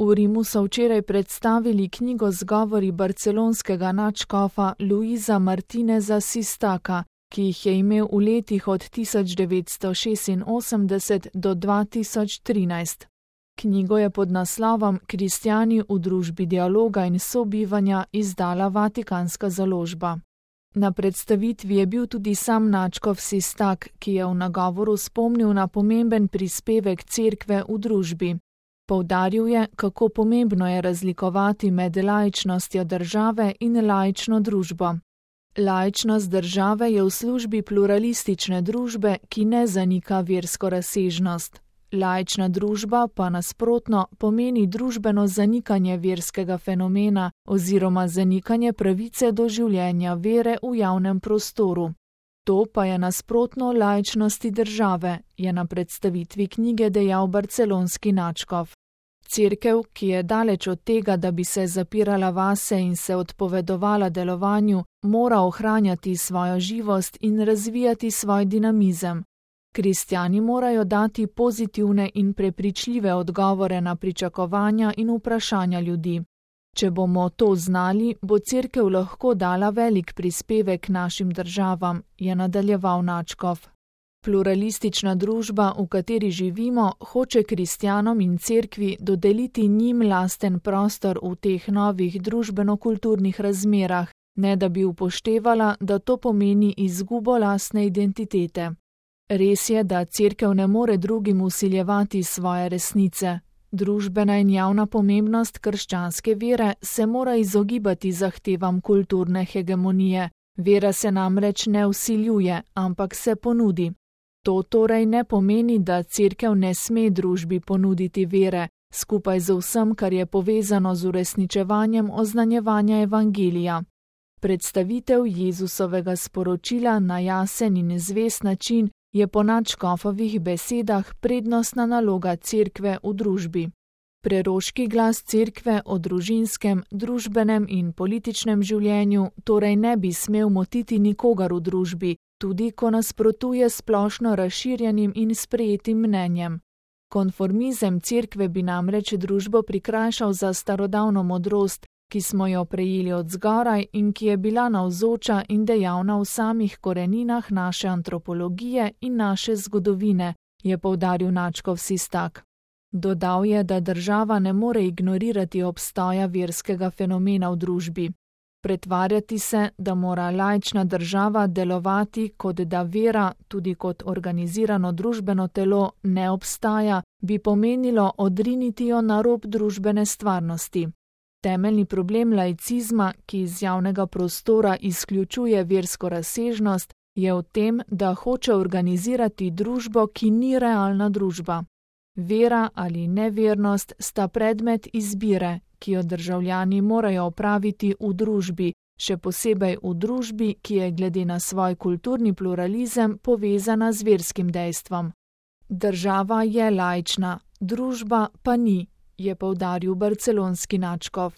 V Rimu so včeraj predstavili knjigo z govori barcelonskega nadškofa Luisa Martineza Sistaka, ki jih je imel v letih od 1986 do 2013. Knjigo je pod naslovom Kristjani v družbi dialoga in sobivanja izdala Vatikanska založba. Na predstavitvi je bil tudi sam nadškof Sistak, ki je v nagovoru spomnil na pomemben prispevek cerkve v družbi. Poudaril je, kako pomembno je razlikovati med laičnostjo države in laično družbo. Laičnost države je v službi pluralistične družbe, ki ne zanika versko razsežnost. Laična družba pa nasprotno pomeni družbeno zanikanje verskega fenomena oziroma zanikanje pravice do življenja vere v javnem prostoru. To pa je nasprotno laičnosti države, je na predstavitvi knjige dejal barcelonski nadškof. Cerkev, ki je daleč od tega, da bi se zapirala vase in se odpovedovala delovanju, mora ohranjati svojo živost in razvijati svoj dinamizem. Kristjani morajo dati pozitivne in prepričljive odgovore na pričakovanja in vprašanja ljudi. Če bomo to znali, bo cerkev lahko dala velik prispevek našim državam, je nadaljeval nadškof. Pluralistična družba, v kateri živimo, hoče kristjanom in cerkvi dodeliti njim lasten prostor v teh novih družbeno-kulturnih razmerah, ne da bi upoštevala, da to pomeni izgubo lastne identitete. Res je, da cerkev ne more drugim vsiljevati svoje resnice. Družbena in javna pomembnost krščanske vere se mora izogibati zahtevam kulturne hegemonije. Vera se namreč ne vsiljuje, ampak se ponudi. To torej ne pomeni, da cerkev ne sme družbi ponuditi vere, skupaj z vsem, kar je povezano z uresničevanjem oznanjevanja evangelija. Predstavitev Jezusovega sporočila na jasen in zvest način je po nadškofovih besedah prednostna naloga cerkve v družbi. Preroški glas cerkve o družinskem, družbenem in političnem življenju torej ne bi smel motiti nikogar v družbi, tudi ko nasprotuje splošno razširjenim in sprejetim mnenjem. Konformizem cerkve bi namreč družbo prikrajšal za starodavno modrost, ki smo jo prejeli od zgoraj in ki je bila navzoča in dejavna v samih koreninah naše antropologije in naše zgodovine, je poudaril nadškof Sistak. Dodal je, da država ne more ignorirati obstoja verskega fenomena v družbi. Pretvarjati se, da mora laična država delovati, kot da vera, tudi kot organizirano družbeno telo, ne obstaja, bi pomenilo odriniti jo na rob družbene stvarnosti. Temeljni problem laicizma, ki iz javnega prostora izključuje versko razsežnost, je v tem, da hoče organizirati družbo, ki ni realna družba. Vera ali nevernost sta predmet izbire, ki jo državljani morajo opraviti v družbi, še posebej v družbi, ki je glede na svoj kulturni pluralizem povezana z verskim dejstvom. Država je laična, družba pa ni, je poudaril barcelonski nadškof.